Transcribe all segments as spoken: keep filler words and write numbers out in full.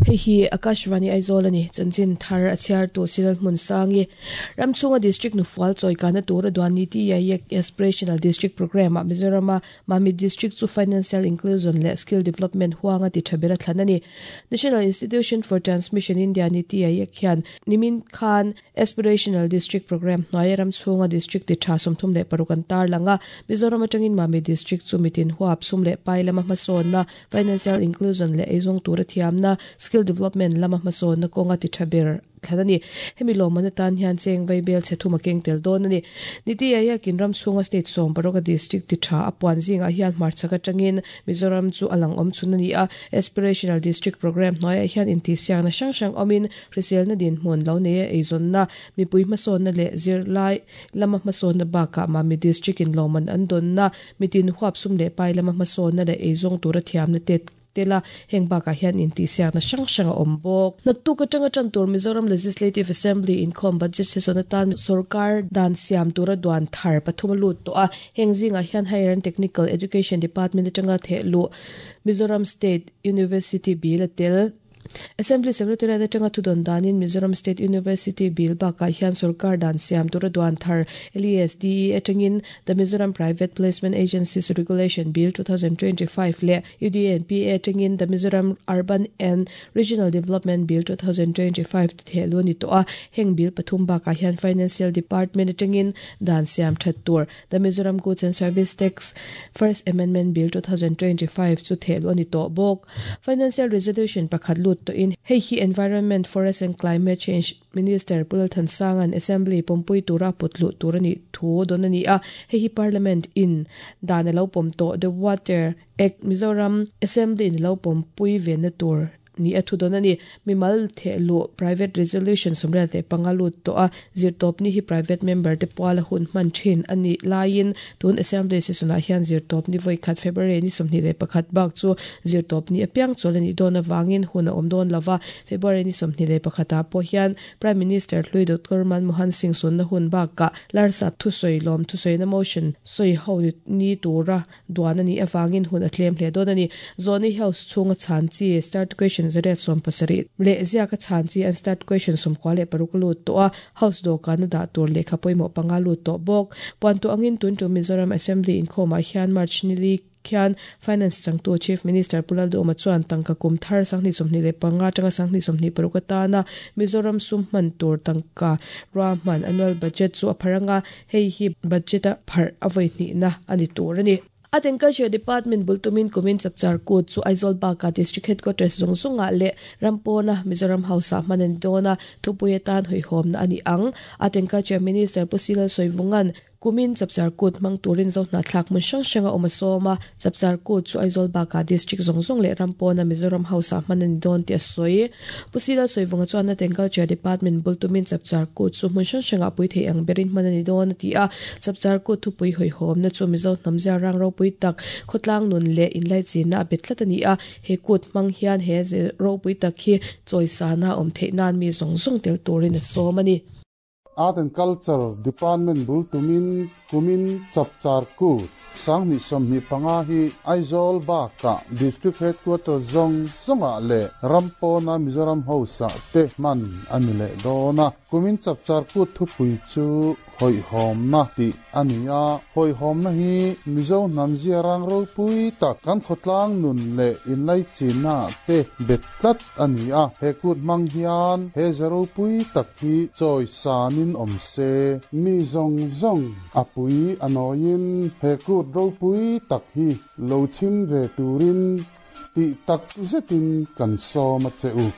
Hei hi Akashvani Aizawl ani chanchin thar a chhiar tu Silal hmun sangi Ramchhunga District Nufual chawikana tura duan Niti Aayog Aspirational District Program a Mizoram a Mamit District chu Financial Inclusion leh Skill Development huanga ti tha ber a thlan ani. National Institution for Transmission India Niti Aayog hian nimin khan Aspirational District Program hnuaia Ramchhunga District ti tha sawmthum leh paruk an tar langa Mizoram atangin Mamit District chu mitin huap sum leh pai lama hmasawnna Financial Inclusion leh eizawng tura thiamna Skill Development lama hmasawnna kawnga ti tha ber thlan ani. Hemi lawmman atan hian cheng vaibel chhe thum a keng tel dawn ani. Niti Aayog in Ramchhunga State sawm paruk a district ti tha a puan zingah hian hmarchhak atangin Mizoram chu a lang awm chhun ani a. Aspirational District Program hnuaiah hian intihsiakna hrang hrang awmin hriselna dinhmun lo nei a eizawnna mipui hmasawnna leh zirlai lama hmasawnna bakah Mamit District in lawmman an dawnna mitin huap sum leh pai lama hmasawnna leh eizawng tura thiamna te tela heng bakah hian intihsiakna hrang hrang a awm bawk. Naktuk atanga tan tur Mizoram Legislative Assembly inkhawm budget session atan sarkar dan siam tura duan thar pathum lut to a heng zingah hian Higher and Technical Education Department atanga thehlu Mizoram State University bill a tel. Assembly Secretary atanga thudon danin Mizoram State University bill bakah hian sarkar dan siam tura duan thar L E S D E atangin the Mizoram Private Placement Agencies Regulation Bill twenty twenty-five le U D N P A atangin the Mizoram Urban and Regional Development Bill twenty twenty-five thehlu ni to a heng bill pathum bakah hian Financial Department atangin dan siam that tur the Mizoram Goods and Service Tax First Amendment Bill twenty twenty-five chu thehlu ni to bawk. Financial Resolution pakhat lut to in hei hi Environment, Forest and Climate Change Minister Pulal Thansangan Assembly pompui tura putlu turani thu donani a hei hi Parliament in dan lo pom to the Water Act Mizoram Assembly in lo pompui ven na tur ni a thu donani mimal thehlu private resolution somre te pangalu to a zirtop ni hi private member te puala hun man thin ani lain tun assembly session a hian zirtop ni voi khat February ni somni le pakhat bak chu zirtop ni apiang cholani don awangin hun a om don lova February ni somni le pakhata po hian Prime Minister Hlui Doctor Manmohan Singh sun na hun bak ka larsa thu soi lom thu soi na motion soi ho ni tura duan ani awangin hun a tlem hle don ani zoni house chunga chan chi start question zaret som pasari le zia ka chan chi an start question som kwale paruklu to a house do kan da tur le khapoimo pangalu to bok pon to angin tun to Mizoram Assembly in khoma hian March ni li khian Finance changtu Chief Minister Pulal Doma chuan tangka kum thar sangni somni le panga tanga sangni somni parukata na Mizoram sum man tur tangka ra man annual budget chu apharanga hei hi budget a phar avoi ni na ani tur ani. Art and Culture Department bultumin kumin chapchar kut chu Aizawl baka District Headquarters zong zonga le Rampona Mizoram House a manan dona thupui atan hoihom na ani ang. Art and Culture Minister Pusilal Soivungan kumin chapchar kut mang turin zo na thlak mun hrang hranga awm a sawm a chapchar kut chu Aizawl baka District zong zong leh Rampona Mizoram House a hman ani dawn tih a sawi. Pusilal Soivunga chuan Art and Culture Department bultumin chapchar kut chu hmun hrang hranga pui thei ang berin hman ani dawn a ti a chapchar kut thupui hawihhawm na chu Mizo hnamzia rang ropui tak khawtlang nun leh inlai chinna a bet tlat ani a he kut hmang hian he ze ropui tak hi chawisana awm theih nan mi zawng zawng tel turin a sawm ani. Art and Culture Department bultumin kumin chapchar kut sangni somni panga hi Aizawl baka District Headquarters zong zonga le Rampona Mizoram House te man ani le dona kumin chapchar kut thupui chu hoi hom na ti ania hoi hom na hi Mizo namzia rang ro pui ta kan khotlang nun le inlai china te betlat ania he kut mang hian he zaro pui tak hi choi sanin om se mi zong zong apui anoin he kut ro pui tak hi lo chim ve turin ti tak zetin kan som a cheu.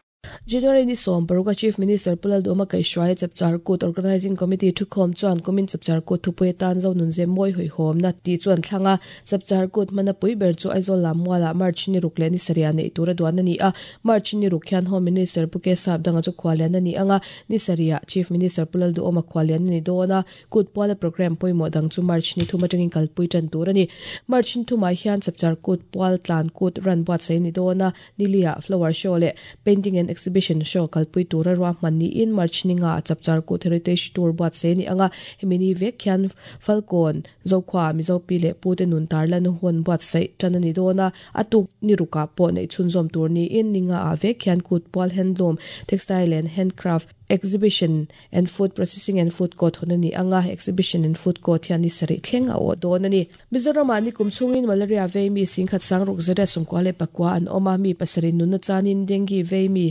January ni som paruka Chief Minister Pulal Doma Kaishwai Chapchar Kut Organizing Committee thukhom chuan kumin Chapchar Kut thupui tan zo nun ze moi hoi hom na ti chuan thlanga Chapchar Kut mana pui ber chu Aizawl lamwala March ni ruk le ni saria nei tura duan ani a March ni ruk hian Home Minister Puke Sap danga chu khwalian ani anga ni saria Chief Minister Pulal Doma khwalian ni dona kut puala program poimo dang chu March ni thuma tangin kalpui tan tur ani March ni thuma hian Chapchar Kut pual tlan kut ran buat sei ni dona nilia flower show le painting and Exhibition Show kalpui tura ruahman niin March ni nga Chapchar Kut Heritage Tour buatsaih ni anga hemi ni vek hian Falkawn Zokhua Mizo pi leh pu te nun tarlan hun buatsaih tan ani dawn a a tuk ni rukah pawh neih chhunzawm tur niin ni nga ah vek hian kut pual handloom textile and handcraft exhibition and food processing and food court hun ani anga exhibition and food court hian ni sarih thleng a awh dawn ani Mizoram ah ni kum chhungin malaria vei mi singkhat sangruk zariat sawmkua leh pakua an awm a mi pasarih nunna chanin dengue vei mi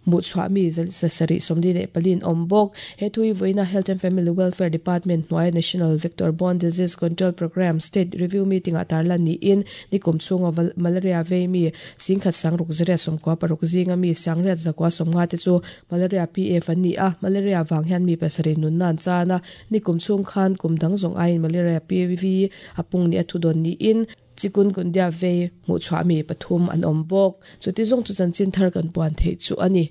hmuhchhuah mi sarih sawmli leh pali an awm bawk he thui vawiina Health and Family Welfare Department hnuaia National Vector Borne Disease Control Programme State Review Meeting ah tarlan niin ni kum chhunga malaria vei mi singkhat sangruk zariat sawmkua paruk zinga mi sangriat zakua sawmnga te chu malaria P F an ni a malaria wang hian mi pasarih nunna an chan a ni kum chhung khan kum dang zawng aiin malaria P V a pung ni a thu dawn niin chikungunya vei hmuhchhuah mi pathum an awm bawk chuti zawng chu chanchin thar kan puan theih chu ani.